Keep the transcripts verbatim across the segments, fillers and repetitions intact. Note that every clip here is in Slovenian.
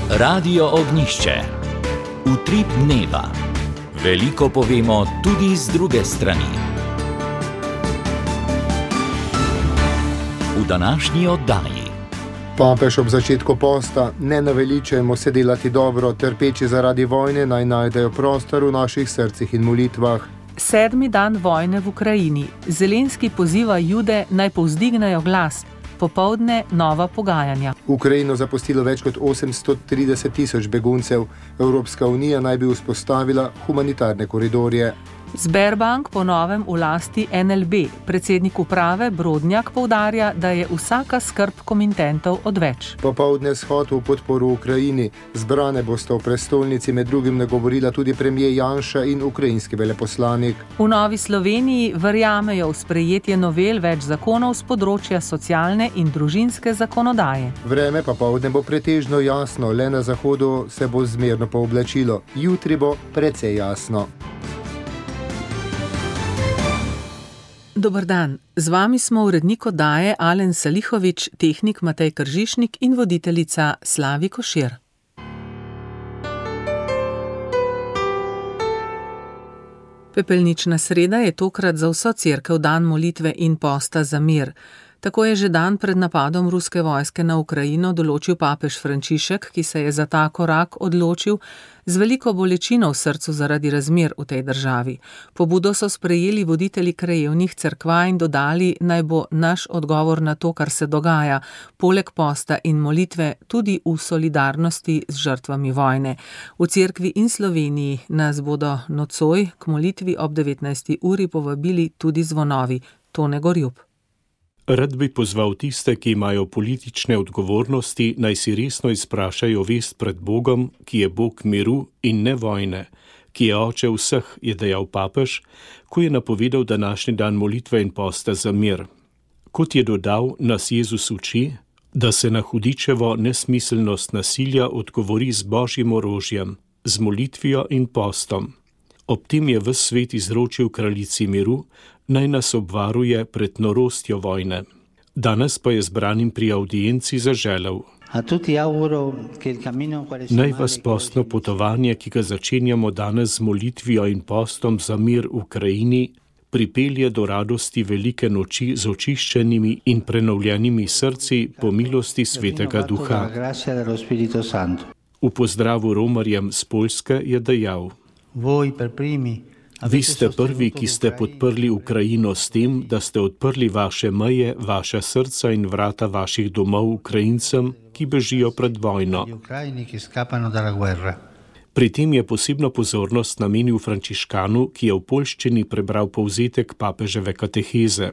Radio Ognjišče. Utrip dneva. Veliko povemo tudi z druge strani. V današnji oddaji. Papež ob začetku posta: ne naveličajmo se delati dobro, trpeči zaradi vojne naj najdejo prostor v naših srcih in molitvah. Sedmi dan vojne v Ukrajini. Zelenski poziva Jude naj povzdignejo glas. Popoldne nova pogajanja. Ukrajino zapustilo več kot osemsto trideset tisoč beguncev. Evropska unija naj bi vzpostavila humanitarne koridorje. Sberbank po novem v lasti en el be. Predsednik uprave Brodnjak poudarja, da je vsaka skrb komitentov odveč. Popoldne shod v podporu Ukrajini. Zbrane bosta v prestolnici med drugim nagovorila tudi premier Janša in ukrajinski veleposlanik. V Novi Sloveniji verjamejo v sprejetje novel več zakonov z področja socialne in družinske zakonodaje. Vreme popoldne bo pretežno jasno, le na zahodu se bo zmerno pooblačilo. Jutri bo precej jasno. Dober dan, z vami smo urednik oddaje Alen Salihovič, tehnik Matej Kržišnik in voditeljica Slavi Košir. Pepelnična sreda je tokrat za vso cerkev dan molitve in posta za mir. Tako je že dan pred napadom ruske vojske na Ukrajino določil papež Frančišek, ki se je za ta korak odločil z veliko bolečino v srcu zaradi razmer v tej državi. Pobudo so sprejeli voditelji krajevnih cerkva in dodali, naj bo naš odgovor na to, kar se dogaja, poleg posta in molitve tudi v solidarnosti z žrtvami vojne. V cerkvi in Sloveniji nas bodo nocoj k molitvi ob devetnajsti uri povabili tudi zvonovi. Tone Gorjup. Rad bi pozval tiste, ki imajo politične odgovornosti, naj si resno izprašajo vest pred Bogom, ki je Bog miru in ne vojne, ki je oče vseh, je dejal papež, ko je napovedal današnji dan molitve in posta za mir. Kot je dodal, nas Jezus uči, da se na hudičevo nesmiselnost nasilja odgovori z božjim orožjem, z molitvijo in postom. Ob tem je ves svet izročil kraljici miru, naj nas obvaruje pred norostjo vojne. Danes pa je zbranim pri audienci zaželel: naj vas postno potovanje, ki ga začenjamo danes z molitvijo in postom za mir v Ukrajini, pripelje do radosti velike noči z očiščenimi in prenovljenimi srci po milosti Svetega Duha. V pozdravu romarjem z Poljske je dejal: vi ste prvi, ki ste podprli Ukrajino s tem, da ste odprli vaše meje, vaša srca in vrata vaših domov Ukrajincem, ki bežijo pred vojno. Pri tem je posebno pozornost namenil Frančiškanu, ki je v poljščini prebral povzetek papeževe kateheze.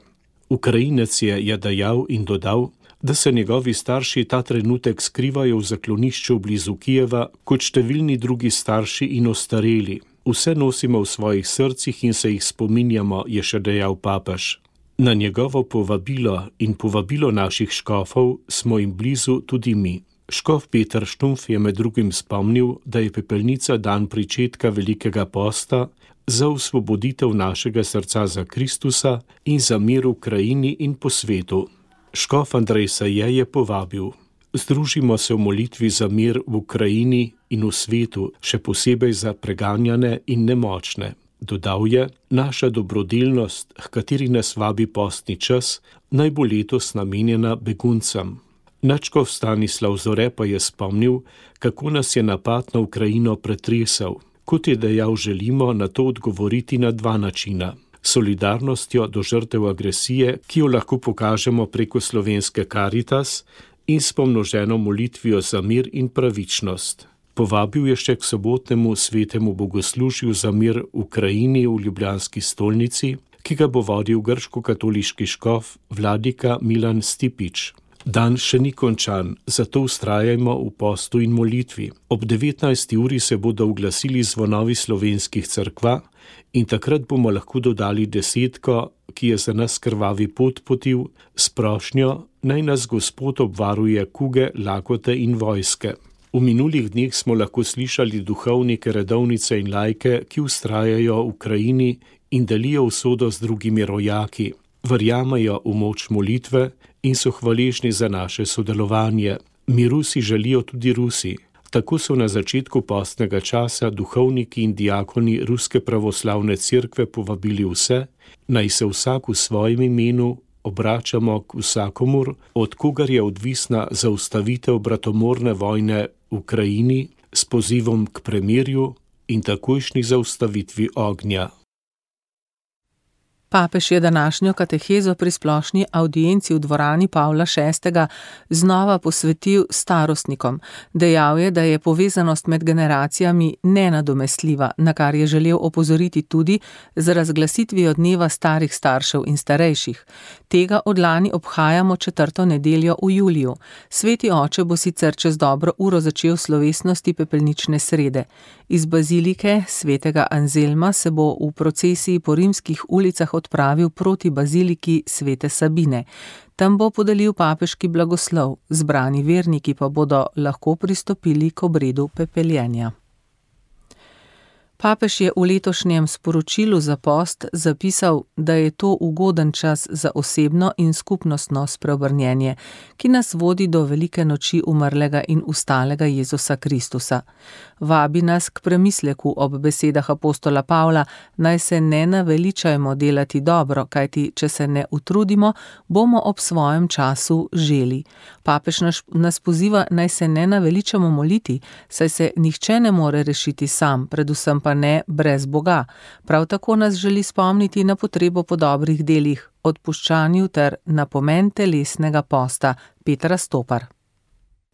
Ukrajinec je, je dejal in dodal, da se njegovi starši ta trenutek skrivajo v zaklonišču blizu Kijeva, kot številni drugi starši in ostareli. Vse nosimo v svojih srcih in se jih spominjamo, je še dejal papež. Na njegovo povabilo in povabilo naših škofov smo jim blizu tudi mi. Škof Peter Štumpf je med drugim spomnil, da je pepelnica dan pričetka velikega posta za osvoboditev našega srca za Kristusa in za mir v krajini in po svetu. Škof Andrej Saje je povabil: združimo se v molitvi za mir v Ukrajini in v svetu, še posebej za preganjane in nemočne. Dodal je: naša dobrodelnost, h kateri nas vabi postni čas, naj bo letos namenjena beguncem. Nadškof Stanislav Zore pa je spomnil, kako nas je napad na Ukrajino pretresel. Kot je dejal, želimo na to odgovoriti na dva načina. Solidarnostjo do žrtev agresije, ki jo lahko pokažemo preko slovenske Karitas, in s pomnoženo molitvijo za mir in pravičnost. Povabil je še k sobotnemu svetemu bogoslužju za mir v Ukrajini v ljubljanski stolnici, ki ga bo vodil grško-katoliški škof vladika Milan Stipič. Dan še ni končan, zato vztrajajmo v postu in molitvi. Ob devetnajsti uri se bodo oglasili zvonovi slovenskih cerkva in takrat bomo lahko dodali desetko, ki je za nas krvavi pot potil, s prošnjo, naj nas Gospod obvaruje kuge, lakote in vojske. V minulih dneh smo lahko slišali duhovnike, redovnice in lajke, ki vztrajajo v Ukrajini in delijo usodo z drugimi rojaki. Verjamejo v moč molitve in so hvaležni za naše sodelovanje. Miru si želijo tudi Rusi. Tako so na začetku postnega časa duhovniki in diakoni Ruske pravoslavne cerkve povabili vse, naj se vsak v svojem imenu obračamo k vsakomur, od kogar je odvisna zaustavitev bratomorne vojne v Ukrajini s pozivom k premirju in takojšnji zaustavitvi ognja. Papež je današnjo katehezo pri splošni avdienci v dvorani Pavla šestega znova posvetil starostnikom. Dejal je, da je povezanost med generacijami nenadomestljiva, na kar je želel opozoriti tudi z razglasitvijo dneva starih staršev in starejših. Tega od lani obhajamo četrto nedeljo v juliju. Sveti oče bo sicer čez dobro uro začel slovesnosti pepelnične srede. Iz bazilike svetega Anzelma se bo v procesiji po rimskih ulicah odpravil proti baziliki svete Sabine. Tam bo podelil papeški blagoslov, zbrani verniki pa bodo lahko pristopili k obredu pepeljenja. Papež je v letošnjem sporočilu za post zapisal, da je to ugoden čas za osebno in skupnostno spreobrnjenje, ki nas vodi do velike noči umrlega in ustalega Jezusa Kristusa. Vabi nas k premisleku ob besedah apostola Pavla, naj se ne naveličajmo delati dobro, kajti če se ne utrudimo, bomo ob svojem času želi. Papež nas poziva, naj se ne naveličamo moliti, saj se nihče ne more rešiti sam, predvsem pa ne brez Boga. Prav tako nas želi spomniti na potrebo po dobrih delih, odpuščanju ter na pomen telesnega posta. Petra Stopar.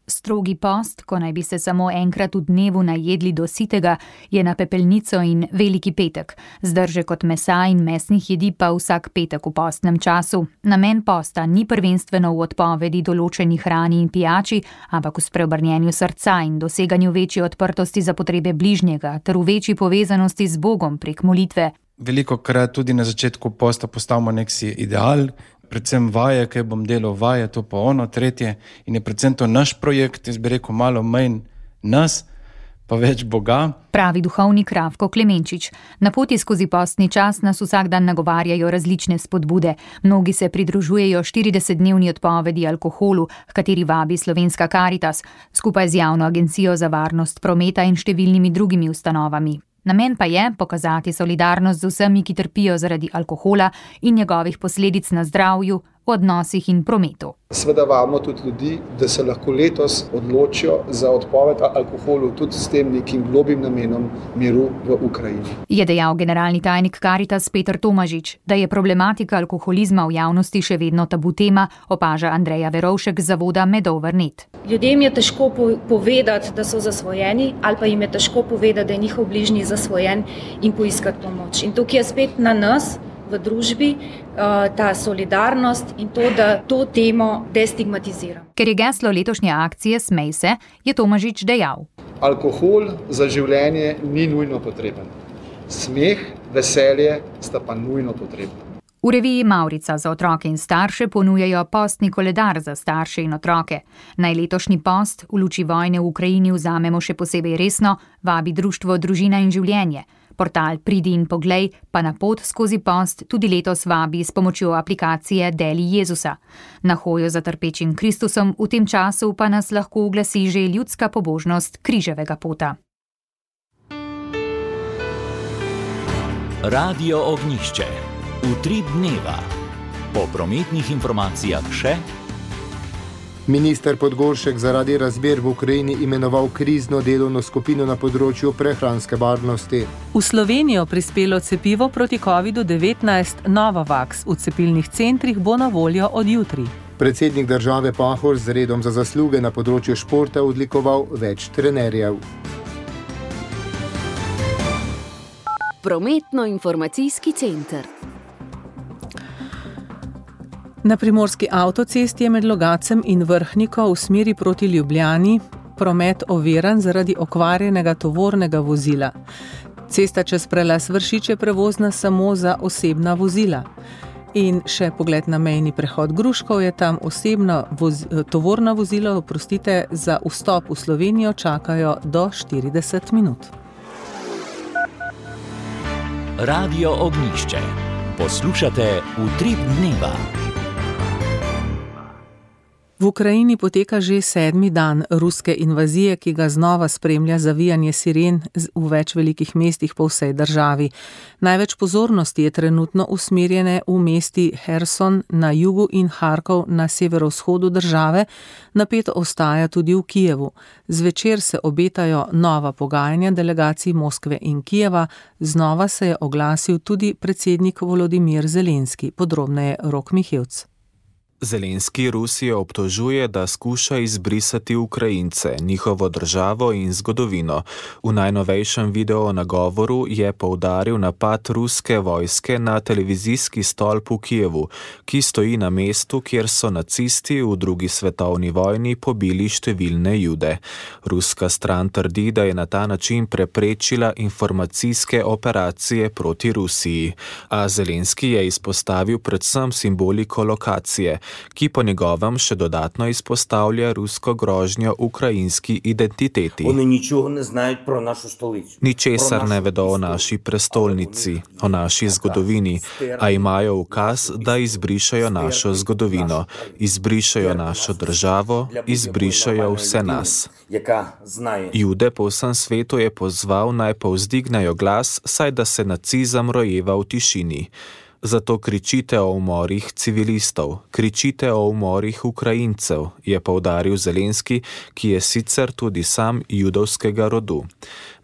Strogi post, ko naj bi se samo enkrat v dnevu najedli do sitega, je na pepelnico in veliki petek. Zdržek od mesa in mesnih jedi pa vsak petek v postnem času. Namen posta ni prvenstveno v odpovedi določeni hrani in pijači, ampak v spreobrnjenju srca in doseganju večje odprtosti za potrebe bližnjega ter v večji povezanosti z Bogom prek molitve. Veliko krat tudi na začetku posta postavimo nek si ideal, predvsem vaje, kaj bom delal vaje, to pa ono, tretje, in je predvsem to naš projekt, jaz bi rekel malo manj nas, pa več Boga. Pravi duhovnik Ravko Klemenčič. Na poti skozi postni čas nas vsak dan nagovarjajo različne spodbude. Mnogi se pridružujejo štiridesetdnevni odpovedi alkoholu, h kateri vabi Slovenska Karitas, skupaj z Javno agencijo za varnost prometa in številnimi drugimi ustanovami. Namen pa je pokazati solidarnost z vsemi, ki trpijo zaradi alkohola in njegovih posledic na zdravju, v odnosih in prometu. Sveda vabimo tudi ljudi, da se lahko letos odločijo za odpoved alkoholu tudi s tem nekim globim namenom miru v Ukrajini. Je dejal generalni tajnik Karitas Peter Tomažič. Da je problematika alkoholizma v javnosti še vedno tabu tema, opaža Andreja Verovšek z zavoda Medover net. Ljudem je težko povedati, da so zasvojeni, ali pa jim je težko povedati, da je njihov bližnji zasvojen in poiskati pomoč. In tukaj je spet na nas, v družbi, ta solidarnost in to, da to temo destigmatizira. Ker je geslo letošnje akcije Smej se, je Tomažič dejal. Alkohol za življenje ni nujno potreben. Smeh, veselje sta pa nujno potrebna. V reviji Mavrica za otroke in starše ponujajo postni koledar za starše in otroke. Naj letošnji post v luči vojne v Ukrajini vzamemo še posebej resno, vabi društvo Družina in življenje. Portal Pridi in poglej pa na pot skozi post tudi letos vabi s pomočjo aplikacije Deli Jezusa. Na hojo za trpečim Kristusom v tem času pa nas lahko uglasi že ljudska pobožnost križevega pota. Radio Ognjišče. Utrip dneva. Po prometnih informacijah še. Minister Podgoršek zaradi razmer v Ukrajini imenoval krizno delovno skupino na področju prehranske varnosti. V Slovenijo prispelo cepivo proti kovidu devetnajst Novavax. V cepilnih centrih bo na voljo od jutri. Predsednik države Pahor z redom za zasluge na področju športa odlikoval več trenerjev. Prometno-informacijski center. Na primorski avtocesti je med Logacem in Vrhniko v smeri proti Ljubljani promet oviran zaradi okvarjenega tovornega vozila. Cesta čez prelaz Vršič je prevozna samo za osebna vozila. In še pogled na mejni prehod Gruškov, je tam osebna voz, tovorna vozila, oprostite, za vstop v Slovenijo čakajo do štirideset minut. Radio Ognjišče. Poslušate Utrip dneva. V Ukrajini poteka že sedmi dan ruske invazije, ki ga znova spremlja zavijanje siren v več velikih mestih po vsej državi. Največ pozornosti je trenutno usmerjene v mesti Herson na jugu in Harkov na severovzhodu države, napeto ostaja tudi v Kijevu. Zvečer se obetajo nova pogajanja delegacij Moskve in Kijeva, znova se je oglasil tudi predsednik Volodimir Zelenski, podrobneje Rok Mihevc. Zelenski Rusijo obtožuje, da skuša izbrisati Ukrajince, njihovo državo in zgodovino. V najnovejšem video nagovoru je poudaril napad ruske vojske na televizijski stolp v Kijevu, ki stoji na mestu, kjer so nacisti v drugi svetovni vojni pobili številne Jude. Ruska stran trdi, da je na ta način preprečila informacijske operacije proti Rusiji, a Zelenski je izpostavil predvsem simboliko lokacije, ki po njegovem še dodatno izpostavlja rusko grožnjo ukrajinski identiteti. Ničesar ne vedo o naši prestolnici, o naši zgodovini, a imajo ukaz, da izbrišajo našo zgodovino, izbrišajo našo državo, izbrišajo vse nas. Jude po vsem svetu je pozval, naj povzdignejo glas, saj da se nacizem rojeva v tišini. Zato kričite o umorih civilistov, kričite o umorih Ukrajincev, je poudaril Zelenski, ki je sicer tudi sam judovskega rodu.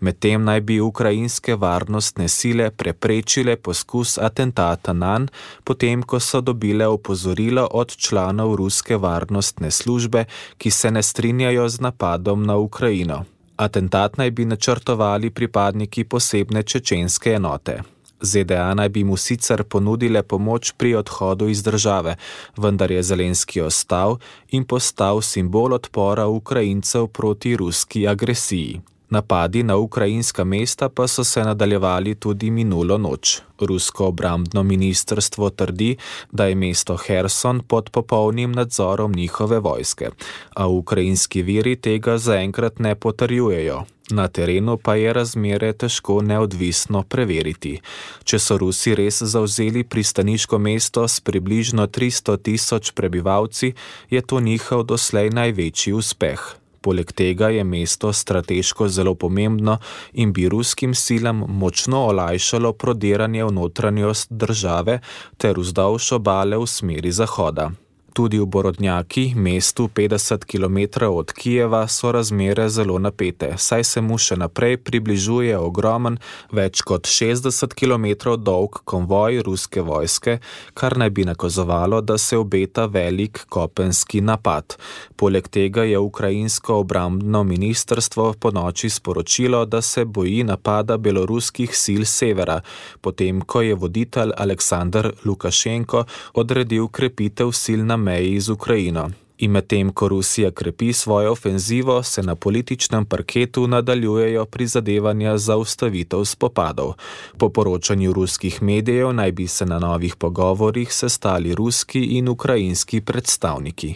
Medtem naj bi ukrajinske varnostne sile preprečile poskus atentata nanj, potem ko so dobile opozorilo od članov ruske varnostne službe, ki se ne strinjajo z napadom na Ukrajino. Atentat naj bi načrtovali pripadniki posebne čečenske enote. ZDA naj bi mu sicer ponudile pomoč pri odhodu iz države, vendar je Zelenski ostal in postal simbol odpora Ukrajincev proti ruski agresiji. Napadi na ukrajinska mesta pa so se nadaljevali tudi minulo noč. Rusko obrambno ministrstvo trdi, da je mesto Herson pod popolnim nadzorom njihove vojske, a ukrajinski viri tega zaenkrat ne potrjujejo. Na terenu pa je razmere težko neodvisno preveriti. Če so Rusi res zavzeli pristaniško mesto s približno tristo tisoč prebivalci, je to njihov doslej največji uspeh. Poleg tega je mesto strateško zelo pomembno in bi ruskim silam močno olajšalo prodiranje v notranjost države ter vzdolž obale v smeri zahoda. Tudi v Borodnjaki, mestu petdeset kilometrov od Kijeva, so razmere zelo napete, saj se mu še naprej približuje ogromen, več kot šestdeset kilometrov dolg konvoj ruske vojske, kar naj bi nakazovalo, da se obeta velik kopenski napad. Poleg tega je ukrajinsko obrambno ministrstvo ponoči sporočilo, da se boji napada beloruskih sil severa, potem ko je voditelj Aleksandr Lukašenko odredil krepitev sil na meji z Ukrajino. In medtem, ko Rusija krepi svojo ofenzivo, se na političnem parketu nadaljujejo prizadevanja za ustavitev spopadov. Po poročanju ruskih medijev naj bi se na novih pogovorih sestali ruski in ukrajinski predstavniki.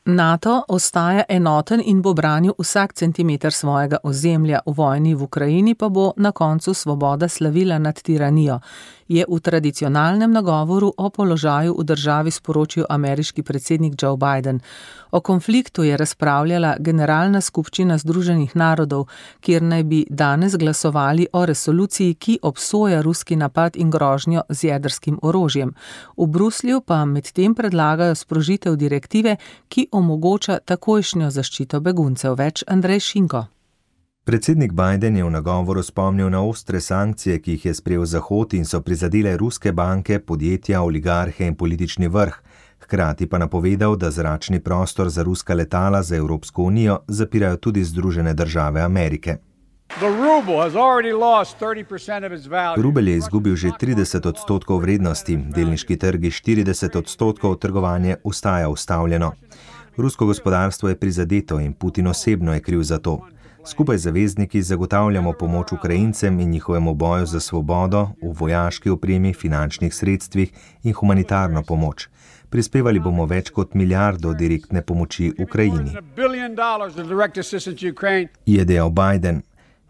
NATO ostaja enoten in bo branil vsak centimeter svojega ozemlja, v vojni v Ukrajini pa bo na koncu svoboda slavila nad tiranijo, je v tradicionalnem nagovoru o položaju v državi sporočil ameriški predsednik Joe Biden. O konfliktu je razpravljala Generalna skupščina Združenih narodov, kjer naj bi danes glasovali o resoluciji, ki obsoja ruski napad in grožnjo z jedrskim orožjem. V Bruslju pa medtem predlagajo sprožitev direktive, ki omogoča takojšnjo zaščito beguncev. Več Andrej Šinko. Predsednik Biden je v nagovoru spomnil na ostre sankcije, ki jih je sprejel Zahod in so prizadele ruske banke, podjetja, oligarhe in politični vrh. Hkrati pa napovedal, da zračni prostor za ruska letala za Evropsko unijo zapirajo tudi Združene države Amerike. Rubelj je izgubil že trideset odstotkov vrednosti, delniški trgi štirideset odstotkov, trgovanje ostaja ustavljeno. Rusko gospodarstvo je prizadeto in Putin osebno je kriv za to. Skupaj z zavezniki zagotavljamo pomoč Ukrajincem in njihovemu boju za svobodo v vojaški opremi, finančnih sredstvih in humanitarno pomoč. Prispevali bomo več kot milijardo direktne pomoči Ukrajini, je dejal Biden.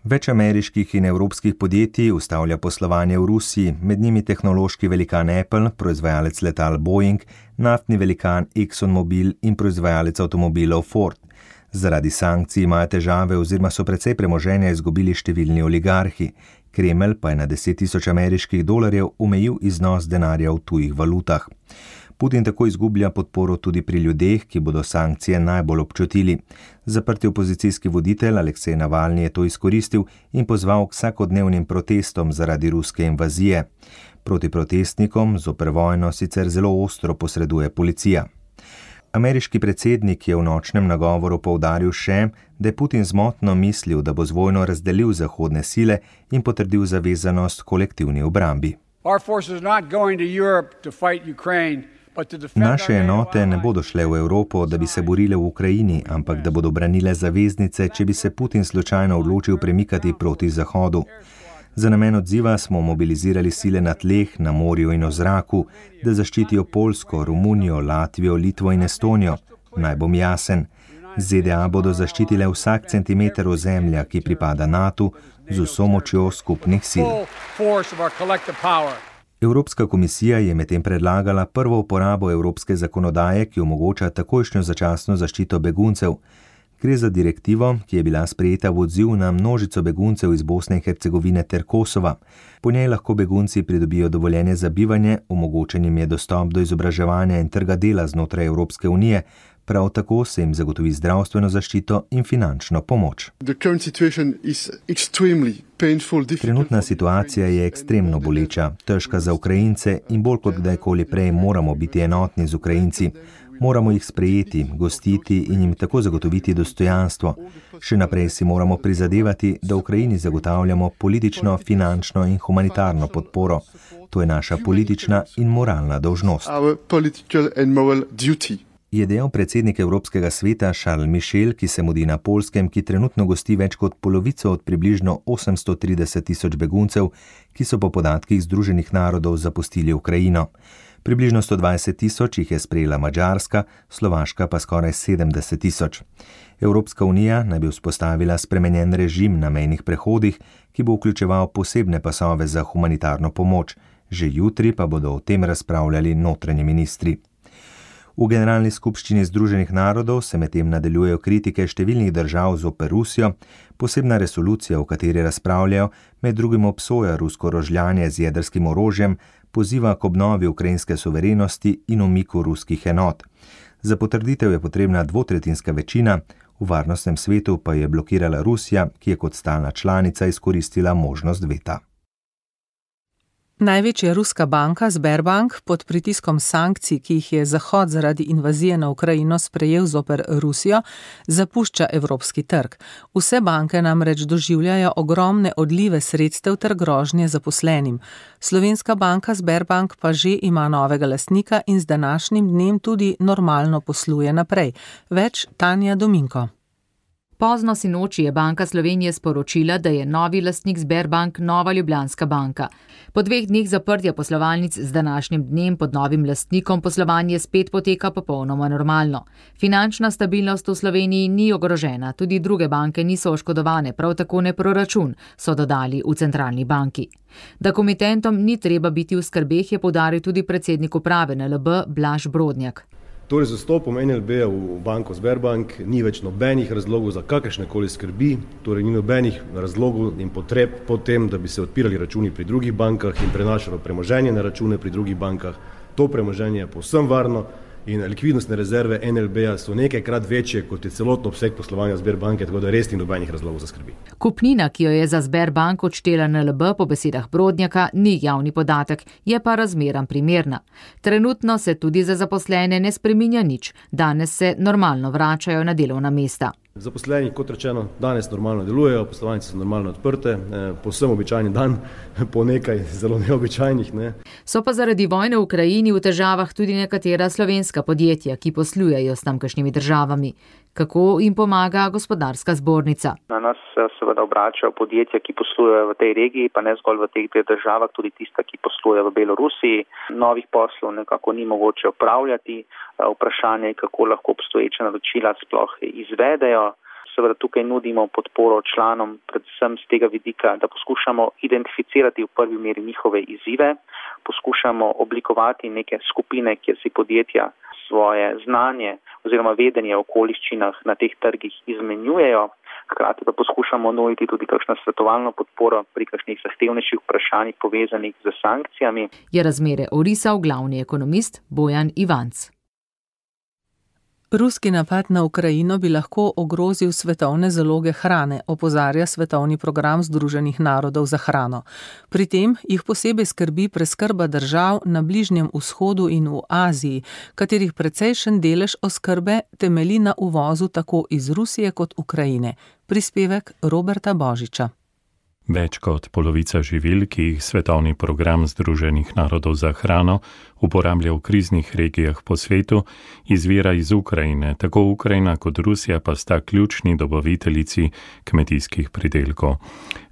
Več ameriških in evropskih podjetij ustavlja poslovanje v Rusiji, med njimi tehnološki velikan Apple, proizvajalec letal Boeing, naftni velikan ExxonMobil in proizvajalec avtomobilov Ford. Zaradi sankcij imajo težave oziroma so precej premoženja izgubili številni oligarhi. Kremelj pa je na deset tisoč ameriških dolarjev omejil iznos denarja v tujih valutah. Putin tako izgublja podporo tudi pri ljudeh, ki bodo sankcije najbolj občutili. Zaprti opozicijski voditelj Aleksej Navalni je to izkoristil in pozval k vsakodnevnim protestom zaradi ruske invazije. Proti protestnikom zoper vojno sicer zelo ostro posreduje policija. Ameriški predsednik je v nočnem nagovoru poudaril še, da je Putin zmotno mislil, da bo z vojno razdelil zahodne sile in potrdil zavezanost kolektivni obrambi. Naše enote ne bodo šle v Evropo, da bi se borile v Ukrajini, ampak da bodo branile zaveznice, če bi se Putin slučajno odločil premikati proti Zahodu. Za namen odziva smo mobilizirali sile na tleh, na morju in v zraku, da zaščitijo Poljsko, Romunijo, Latvijo, Litvo in Estonijo. Naj bom jasen, Z D A bodo zaščitile vsak centimeter ozemlja, ki pripada NATO, z vso močjo skupnih sil. Evropska komisija je medtem predlagala prvo uporabo evropske zakonodaje, ki omogoča takojšnjo začasno zaščito beguncev. Gre za direktivo, ki je bila sprejeta v odziv na množico beguncev iz Bosne in Hercegovine ter Kosova. Po njej lahko begunci pridobijo dovoljenje za bivanje, omogočen jim je dostop do izobraževanja in trga dela znotraj Evropske unije, prav tako se jim zagotovi zdravstveno zaščito in finančno pomoč. Trenutna situacija je ekstremno boleča, težka za Ukrajince in bolj kot kdajkoli prej moramo biti enotni z Ukrajinci. Moramo jih sprejeti, gostiti in jim tako zagotoviti dostojanstvo. Še naprej si moramo prizadevati, da Ukrajini zagotavljamo politično, finančno in humanitarno podporo. To je naša politična in moralna dolžnost. Je dejal predsednik Evropskega sveta Charles Michel, ki se mudi na Poljskem, ki trenutno gosti več kot polovico od približno osemsto trideset tisoč beguncev, ki so po podatkih Združenih narodov zapustili Ukrajino. Približno sto dvajset tisoč jih je sprejela Madžarska, Slovaška pa skoraj sedemdeset tisoč. Evropska unija naj bi vzpostavila spremenjen režim na mejnih prehodih, ki bo vključeval posebne pasove za humanitarno pomoč. Že jutri pa bodo o tem razpravljali notranji ministri. V Generalni skupščini Združenih narodov se medtem nadaljujejo kritike številnih držav zoper Rusijo. Posebna resolucija, v kateri razpravljajo, med drugim obsoja rusko rožljanje z jedrskim orožjem, poziva k obnovi ukrajinske suverenosti in umiku ruskih enot. Za potrditev je potrebna dvotretjinska večina, v varnostnem svetu pa je blokirala Rusija, ki je kot stalna članica izkoristila možnost veta. Največja ruska banka Sberbank pod pritiskom sankcij, ki jih je Zahod zaradi invazije na Ukrajino sprejel zoper Rusijo, zapušča evropski trg. Vse banke namreč doživljajo ogromne odlive sredstev ter grožnje zaposlenim. Slovenska banka Sberbank pa že ima novega lastnika in z današnjim dnem tudi normalno posluje naprej. Več Tanja Dominko. Pozno sinoči je Banka Slovenije sporočila, da je novi lastnik Sberbank Nova Ljubljanska banka. Po dveh dneh zaprtja poslovalnic z današnjim dnem pod novim lastnikom poslovanje spet poteka popolnoma normalno. Finančna stabilnost v Sloveniji ni ogrožena, tudi druge banke niso oškodovane, prav tako ne proračun, so dodali v centralni banki. Da komitentom ni treba biti v skrbeh, je poudaril tudi predsednik uprave N L B Blaž Brodnjak. Torej, z vstopom N L B-ja v banko Sberbank ni več nobenih razlogov za kakršnekoli skrbi, torej ni nobenih razlogov in potreb po tem, da bi se odpirali računi pri drugih bankah in prenašalo premoženje na račune pri drugih bankah. To premoženje je povsem varno in likvidnostne rezerve N L B-ja so nekajkrat večje, kot je celotno obseg poslovanja Sberbanke, tako da res ni nobenih razlogov za skrbi. Kupnina, ki jo je za Sberbank odštela N L B po besedah Brodnjaka, ni javni podatek, je pa razmeran primerna. Trenutno se tudi za zaposlene ne spreminja nič, danes se normalno vračajo na delovna mesta. Zaposleni, kot rečeno, danes normalno delujejo, poslovalnice so normalno odprte, povsem običajni dan, po nekaj zelo neobičajnih. Ne. So pa zaradi vojne v Ukrajini v težavah tudi nekatera slovenska podjetja, ki poslujejo s tamkajšnjimi državami. Kako jim pomaga gospodarska zbornica? Na nas se seveda obračajo podjetja, ki poslujejo v tej regiji, pa ne zgolj v teh dveh državah, tudi tista, ki posluje v Belorusiji. Novih poslov nekako ni mogoče opravljati. Vprašanje je, kako lahko obstoječa naročila sploh izvedejo. seveda tukaj nudimo podporo članom, predvsem z tega vidika, da poskušamo identificirati v prvi meri njihove izzive, poskušamo oblikovati neke skupine, kjer si podjetja svoje znanje oziroma vedenje o okoliščinah na teh trgih izmenjujejo, hkrati pa poskušamo nuditi tudi kakšno svetovalno podporo pri kakšnih zahtevnejših vprašanjih povezanih z sankcijami. Je razmere orisal glavni ekonomist Bojan Ivanc. Ruski napad na Ukrajino bi lahko ogrozil svetovne zaloge hrane, opozarja Svetovni program Združenih narodov za hrano. Pri tem jih posebej skrbi preskrba držav na Bližnjem vzhodu in v Aziji, katerih precejšen delež oskrbe temelji na uvozu tako iz Rusije kot Ukrajine. Prispevek Roberta Božiča. Več kot polovica živil, ki jih Svetovni program Združenih narodov za hrano uporablja v kriznih regijah po svetu, izvira iz Ukrajine. Tako Ukrajina kot Rusija pa sta ključni dobaviteljici kmetijskih pridelkov.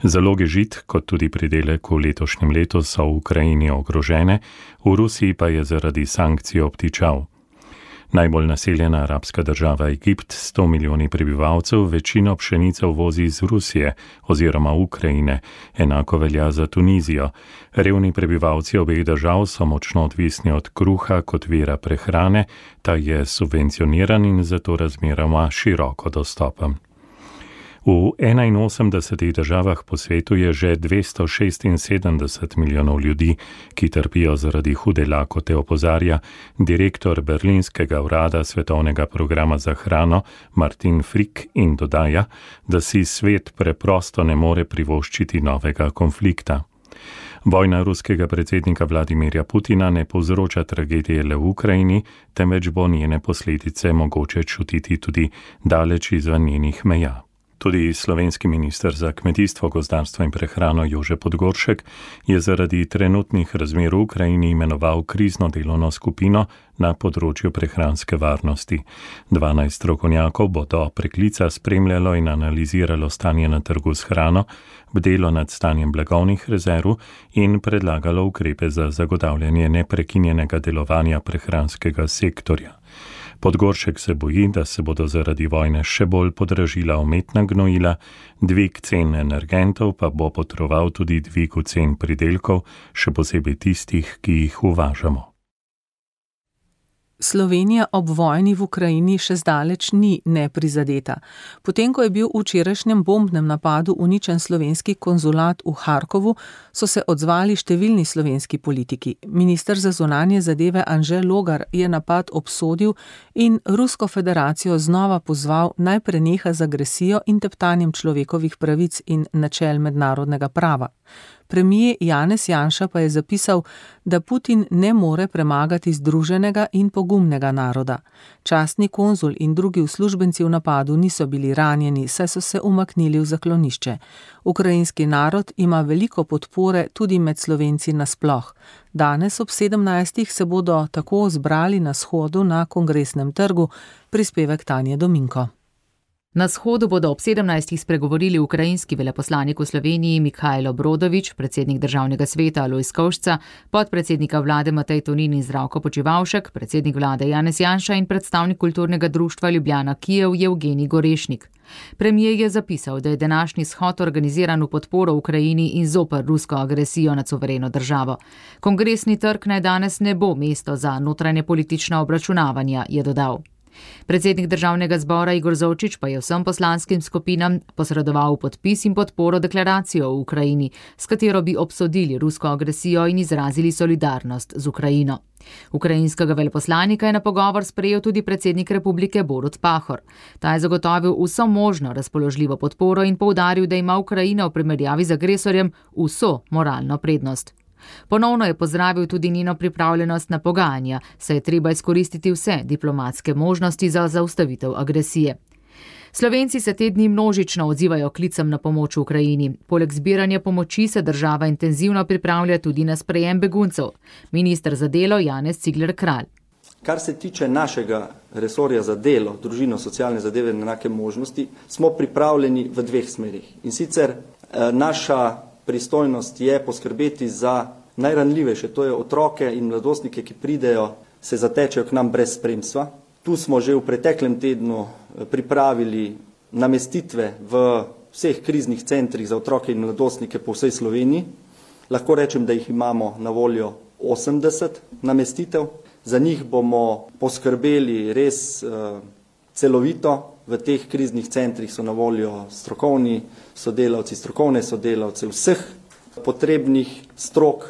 Zaloge žit, kot tudi pridelek v letošnjem letu, so v Ukrajini ogrožene, v Rusiji pa je zaradi sankcij obtičal. Najbolj naseljena arabska država Egipt, sto milijoni prebivalcev, večino pšenice uvozi iz Rusije oziroma Ukrajine, enako velja za Tunizijo. Revni prebivalci obeh držav so močno odvisni od kruha kot vira prehrane, ta je subvencioniran in zato razmeroma široko dostopen. V enainosemdesetih državah po svetu je že dvesto šestinsedemdeset milijonov ljudi, ki trpijo zaradi hude lakote, opozarja direktor berlinskega urada Svetovnega programa za hrano Martin Frick in dodaja, da si svet preprosto ne more privoščiti novega konflikta. Vojna ruskega predsednika Vladimirja Putina ne povzroča tragedije le v Ukrajini, temveč bo njene posledice mogoče čutiti tudi daleč izven njenih meja. Tudi slovenski minister za kmetijstvo, gozdarstvo in prehrano Jože Podgoršek je zaradi trenutnih razmer v Ukrajini imenoval krizno delovno skupino na področju prehranske varnosti. dvanajst strokovnjakov bo do preklica spremljalo in analiziralo stanje na trgu s hrano, bdelo nad stanjem blagovnih rezerv in predlagalo ukrepe za zagotavljanje neprekinjenega delovanja prehranskega sektorja. Podgoršek se boji, da se bodo zaradi vojne še bolj podražila umetna gnojila, dvig cen energentov pa bo potroval tudi dvigu cen pridelkov, še posebej tistih, ki jih uvažamo. Slovenija ob vojni v Ukrajini še zdaleč ni neprizadeta. Potem, ko je bil v včerajšnjem bombnem napadu uničen slovenski konzulat v Harkovu, so se odzvali številni slovenski politiki. Minister za zunanje zadeve Anže Logar je napad obsodil in Rusko federacijo znova pozval, naj preneha z agresijo in teptanjem človekovih pravic in načel mednarodnega prava. Premijer Janez Janša pa je zapisal, da Putin ne more premagati združenega in pogumnega naroda. Častni konzul in drugi uslužbenci v napadu niso bili ranjeni, saj so se umaknili v zaklonišče. Ukrajinski narod ima veliko podpore tudi med Slovenci nasploh. Danes ob sedemnajstih se bodo tako zbrali na shodu na Kongresnem trgu, prispevek Tanje Dominko. Na shodu bodo ob sedemnajstih spregovorili ukrajinski veleposlanik v Sloveniji Mihajlo Brodović, predsednik državnega sveta Alojz Kovšca, podpredsednika vlade Matej Tonin in Zdravko Počivalšek, predsednik vlade Janez Janša in predstavnik kulturnega društva Ljubljana Kijev Evgenij Gorešnik. Premijer je zapisal, da je današnji shod organiziran v podporo Ukrajini in zoper rusko agresijo nad suvereno državo. Kongresni trg naj danes ne bo mesto za notranje politična obračunavanja, je dodal. Predsednik državnega zbora Igor Zorčič pa je vsem poslanskim skupinam posredoval podpis in podporo deklaracijo v Ukrajini, s katero bi obsodili rusko agresijo in izrazili solidarnost z Ukrajino. Ukrajinskega veleposlanika je na pogovor sprejel tudi predsednik republike Borut Pahor. Ta je zagotovil vso možno razpoložljivo podporo in poudaril, da ima Ukrajina v primerjavi z agresorjem vso moralno prednost. Ponovno je pozdravil tudi njeno pripravljenost na pogajanja, saj je treba izkoristiti vse diplomatske možnosti za zaustavitev agresije. Slovenci se te dni množično odzivajo klicem na pomoč v Ukrajini. Poleg zbiranja pomoči se država intenzivno pripravlja tudi na sprejem beguncev. Minister za delo Janez Cigler Kralj. Kar se tiče našega resorja za delo, družino, socialne zadeve in enake možnosti, smo pripravljeni v dveh smerih. In sicer naša pristojnost je poskrbeti za najranljivejše, to je otroke in mladostnike, ki pridejo, se zatečejo k nam brez spremstva. Tu smo že v preteklem tednu pripravili namestitve v vseh kriznih centrih za otroke in mladostnike po vsej Sloveniji. Lahko rečem, da jih imamo na voljo osemdeset namestitev. Za njih bomo poskrbeli res uh, celovito. V teh kriznih centrih so na voljo strokovni sodelavci, strokovne sodelavce vseh potrebnih strok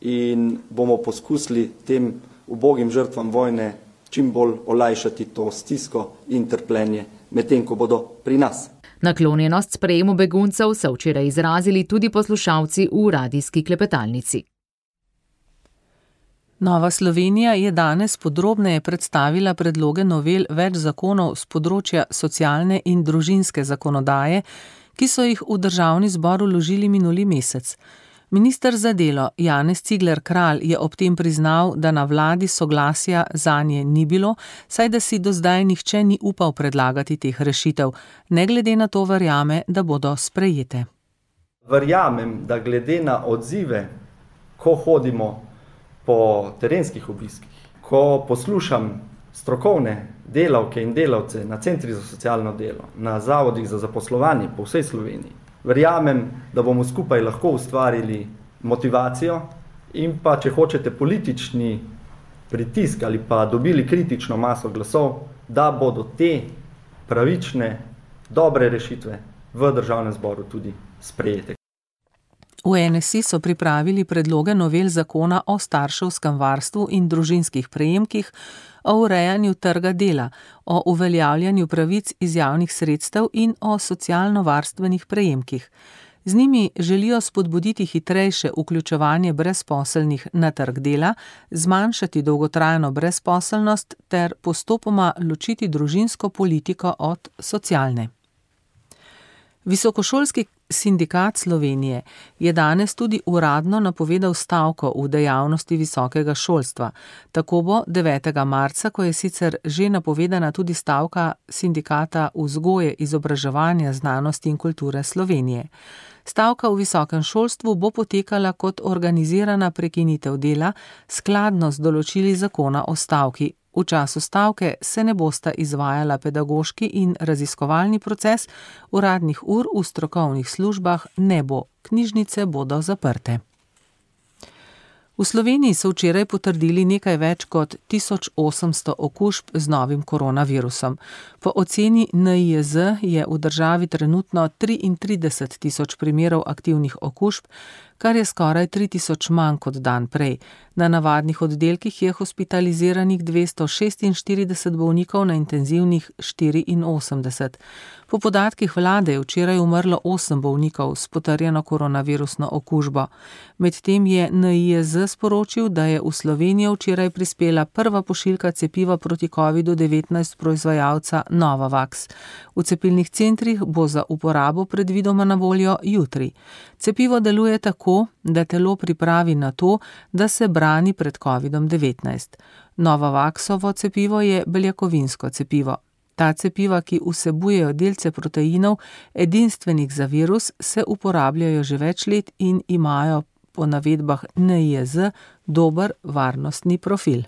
in bomo poskusili tem ubogim žrtvam vojne čim bolj olajšati to stisko in trpljenje medtem, ko bodo pri nas. Naklonjenost sprejemu beguncev so včeraj izrazili tudi poslušalci v radijski klepetalnici. Nova Slovenija je danes podrobneje predstavila predloge novel več zakonov z področja socialne in družinske zakonodaje, ki so jih v državni zbor vložili minuli mesec. Minister za delo Janez Cigler Kralj je ob tem priznal, da na vladi soglasja zanje ni bilo, saj da si do zdaj nihče ni upal predlagati teh rešitev, ne glede na to verjame, da bodo sprejete. Verjamem, da glede na odzive, ko hodimo po terenskih obiskih, ko poslušam strokovne delavke in delavce na centrih za socialno delo, na zavodih za zaposlovanje po vsej Sloveniji, verjamem, da bomo skupaj lahko ustvarili motivacijo in pa, če hočete, politični pritisk ali pa dobili kritično maso glasov, da bodo te pravične, dobre rešitve v državnem zboru tudi sprejete. V N S I so pripravili predloge novel zakona o starševskem varstvu in družinskih prejemkih, o urejanju trga dela, o uveljavljanju pravic iz javnih sredstev in o socialno-varstvenih prejemkih. Z njimi želijo spodbuditi hitrejše vključevanje brezposelnih na trg dela, zmanjšati dolgotrajno brezposelnost ter postopoma ločiti družinsko politiko od socialne. Visokošolski sindikat Slovenije je danes tudi uradno napovedal stavko v dejavnosti visokega šolstva. Tako bo devetega marca, ko je sicer že napovedana tudi stavka sindikata vzgoje, izobraževanja, znanosti in kulture Slovenije. Stavka v visokem šolstvu bo potekala kot organizirana prekinitev dela, skladno z določili zakona o stavki. V času stavke se ne bosta izvajala pedagoški in raziskovalni proces, uradnih ur v strokovnih službah ne bo, knjižnice bodo zaprte. V Sloveniji so včeraj potrdili nekaj več kot tisoč osemsto okužb z novim koronavirusom. Po oceni N I J Z je v državi trenutno triintrideset tisoč primerov aktivnih okužb, kar je skoraj tri tisoč manj kot dan prej. Na navadnih oddelkih je hospitaliziranih dvesto šestinštirideset bolnikov, na intenzivnih štiriinosemdeset. Po podatkih vlade je včeraj umrlo osem bolnikov s potrjeno koronavirusno okužbo. Medtem je N I J Z sporočil, da je v Slovenijo včeraj prispela prva pošiljka cepiva proti kovidu devetnajst proizvajalca Novavax. V cepilnih centrih bo za uporabo predvidoma na voljo jutri. Cepivo deluje tako, da telo pripravi na to, da se brani pred kovidom devetnajst. Novavaxovo cepivo je beljakovinsko cepivo. Ta cepiva, ki vsebujejo delce proteinov, edinstvenih za virus, se uporabljajo že več let in imajo po navedbah N I J Z dober varnostni profil.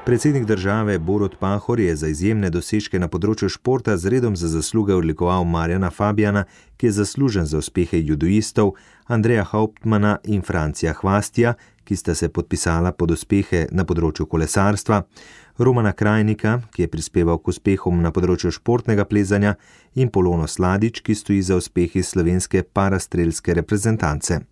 Predsednik države Borut Pahor je za izjemne dosežke na področju športa z redom za zasluge odlikoval Marjana Fabijana, ki je zaslužen za uspehe judoistov, Andreja Hauptmana in Francija Hvastija, ki sta se podpisala pod uspehe na področju kolesarstva, Romana Krajnika, ki je prispeval k uspehom na področju športnega plezanja, in Polono Sladič, ki stoji za uspehi slovenske parastrelske reprezentance.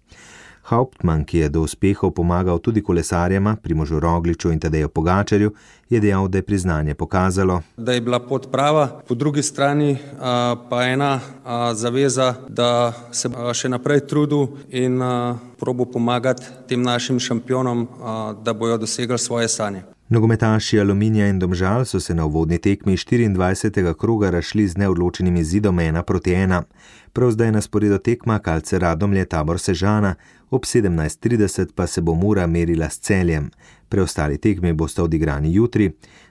Hauptmann, ki je do uspehov pomagal tudi kolesarjema, Primožu Rogliču in Tadeju Pogačarju, je dejal, da je priznanje pokazalo, da je bila pot prava, po drugi strani a, pa ena a, zaveza, da se a, še naprej trudil in a, probo pomagati tem našim šampionom, a, da bojo dosegli svoje sanje. Nogometaši Aluminija in Domžal so se na uvodni tekmi štiriindvajsetega kroga razšli z neodločenim izidom ena proti ena. Prav zdaj je na sporedu tekma Kalce Radomlje Tabor Sežana, ob sedemnajst trideset pa se bo Mura merila s Celjem. Preostali tekmi bosta odigrani jutri.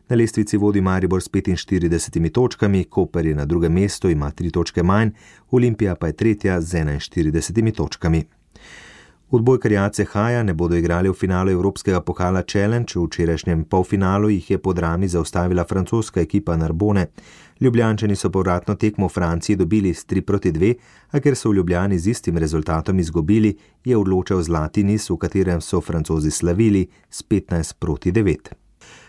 Na lestvici vodi Maribor s petinštiridesetimi točkami, Koper je na drugem mestu, ima tri točke manj, Olimpija pa je tretja z enainštiridesetimi točkami. Odbojkarji A C H-ja ne bodo igrali v finalu Evropskega pokala Challenge, v včerajšnjem polfinalu jih je po drami zaustavila francoska ekipa Narbone. Ljubljančani so povratno tekmo v Franciji dobili s tri proti dve, a ker so v Ljubljani z istim rezultatom izgubili, je odločal zlati niz, v katerem so Francozi slavili s petnajst proti devet.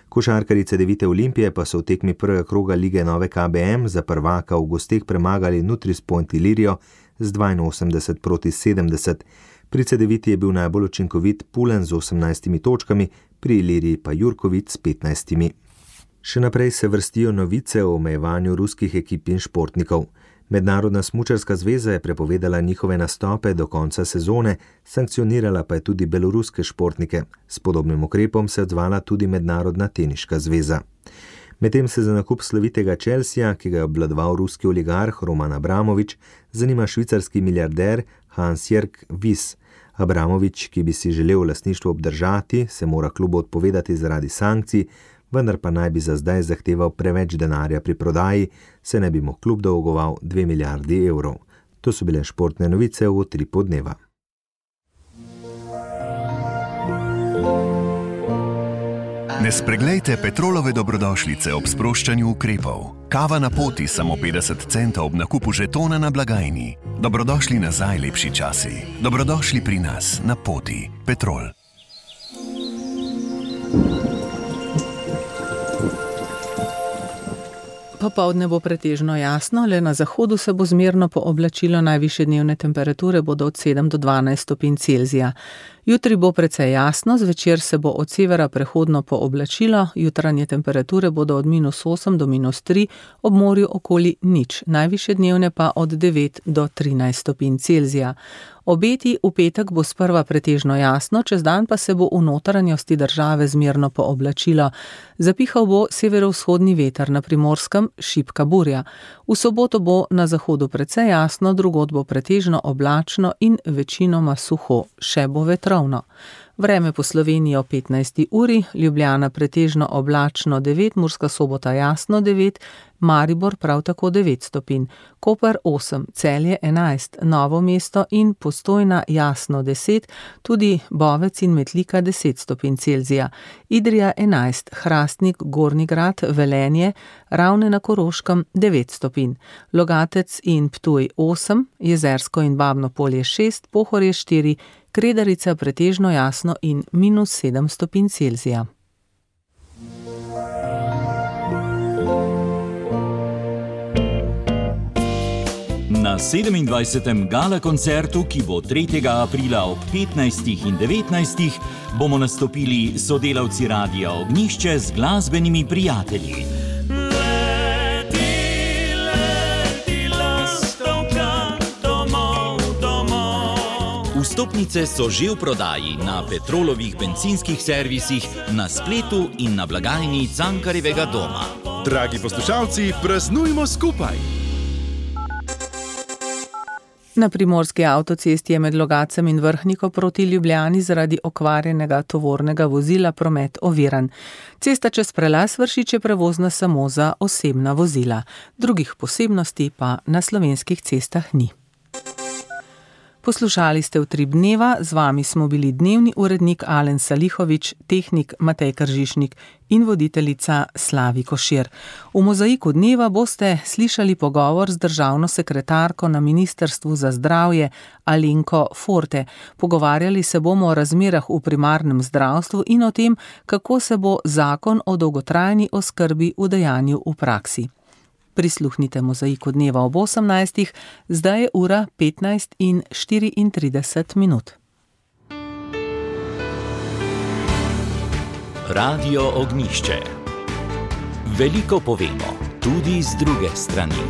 Košarkarice Devite Olimpije pa so v tekmi prvega kroga lige Nove K B M za prvaka v gosteh premagali Nutris-Point Ilirijo z dvainosemdeset proti sedemdeset. Pri Cedeviti je bil najbolj učinkovit Pulen z osemnajstimi točkami, pri Iliriji pa Jurković s petnajstimi. Še naprej se vrstijo novice o omejevanju ruskih ekip in športnikov. Mednarodna smučarska zveza je prepovedala njihove nastope do konca sezone, sankcionirala pa je tudi beloruske športnike. S podobnim ukrepom se je odzvala tudi Mednarodna teniška zveza. Medtem se za nakup slovitega Chelsea, ki ga je obvladoval ruski oligarh Roman Abramovič, zanima švicarski milijarder Hans-Jörg Wyss. Abramovič, ki bi si želel lastništvo obdržati, se mora klubu odpovedati zaradi sankcij, vendar pa naj bi za zdaj zahteval preveč denarja pri prodaji, se ne bi mu klub dolgoval dve milijardi evrov. To so bile športne novice v Utripu dneva. Ne spreglejte Petrolove dobrodošlice ob sproščanju ukrepov. Kava na poti samo petdeset centov ob nakupu žetona na blagajni. Dobrodošli nazaj, lepši časi. Dobrodošli pri nas na poti. Petrol. Popoldne bo pretežno jasno, le na zahodu se bo zmerno pooblačilo, najvišje dnevne temperature bodo od sedem do dvanajst stopinj Celzija. Jutri bo precej jasno, zvečer se bo od severa prehodno pooblačilo, jutranje temperature bodo od minus osem do minus tri, ob morju okoli nič, najvišje dnevne pa od devet do trinajst stopinj Celzija. Obeti v petek bo sprva pretežno jasno, čez dan pa se bo v notranjosti države zmerno pooblačilo. Zapihal bo severovzhodni veter, na Primorskem šibka burja. V soboto bo na zahodu precej jasno, drugod bo pretežno oblačno in večinoma suho, še bo vetrovno. Vreme po Sloveniji o petnajsti uri, Ljubljana pretežno oblačno devet, Murska Sobota jasno devet, Maribor prav tako devet stopinj, Koper osem, Celje enajst, Novo mesto in Postojna jasno deset, tudi Bovec in Metlika deset stopinj Celzija, Idrija enajst, Hrastnik, Gornji Grad, Velenje, Ravne na Koroškem devet stopinj, Logatec in Ptuj osem, Jezersko in Babno Polje šest, Pohorje štiri, Kredarica pretežno jasno in minus sedem stopinj Celzija. Na sedemindvajsetem gala koncertu, ki bo tretjega aprila ob petnajstih in devetnajstih, bomo nastopili sodelavci Radia Ognjišče z glasbenimi prijatelji. Vstopnice so že v prodaji na Petrolovih bencinskih servisih, na spletu in na blagajni Cankarjevega doma. Dragi poslušalci, praznujmo skupaj! Na primorski avtocesti je med Logacem in Vrhniko proti Ljubljani zaradi okvarjenega tovornega vozila promet oviran. Cesta čez prelaz Vršič je prevozna samo za osebna vozila. Drugih posebnosti pa na slovenskih cestah ni. Poslušali ste Utrip dneva, z vami smo bili dnevni urednik Alen Salihovič, tehnik Matej Kržišnik in voditeljica Slavi Košir. V Mozaiku dneva boste slišali pogovor z državno sekretarko na Ministrstvu za zdravje Alenko Forte. Pogovarjali se bomo o razmerah v primarnem zdravstvu in o tem, kako se bo zakon o dolgotrajni oskrbi udejanjil v praksi. Prisluhnite Mozaiku dneva ob osemnajstih, zdaj je ura petnajst in štiriintrideset minut. Radio Ognjišče. Veliko povemo, tudi z druge strani.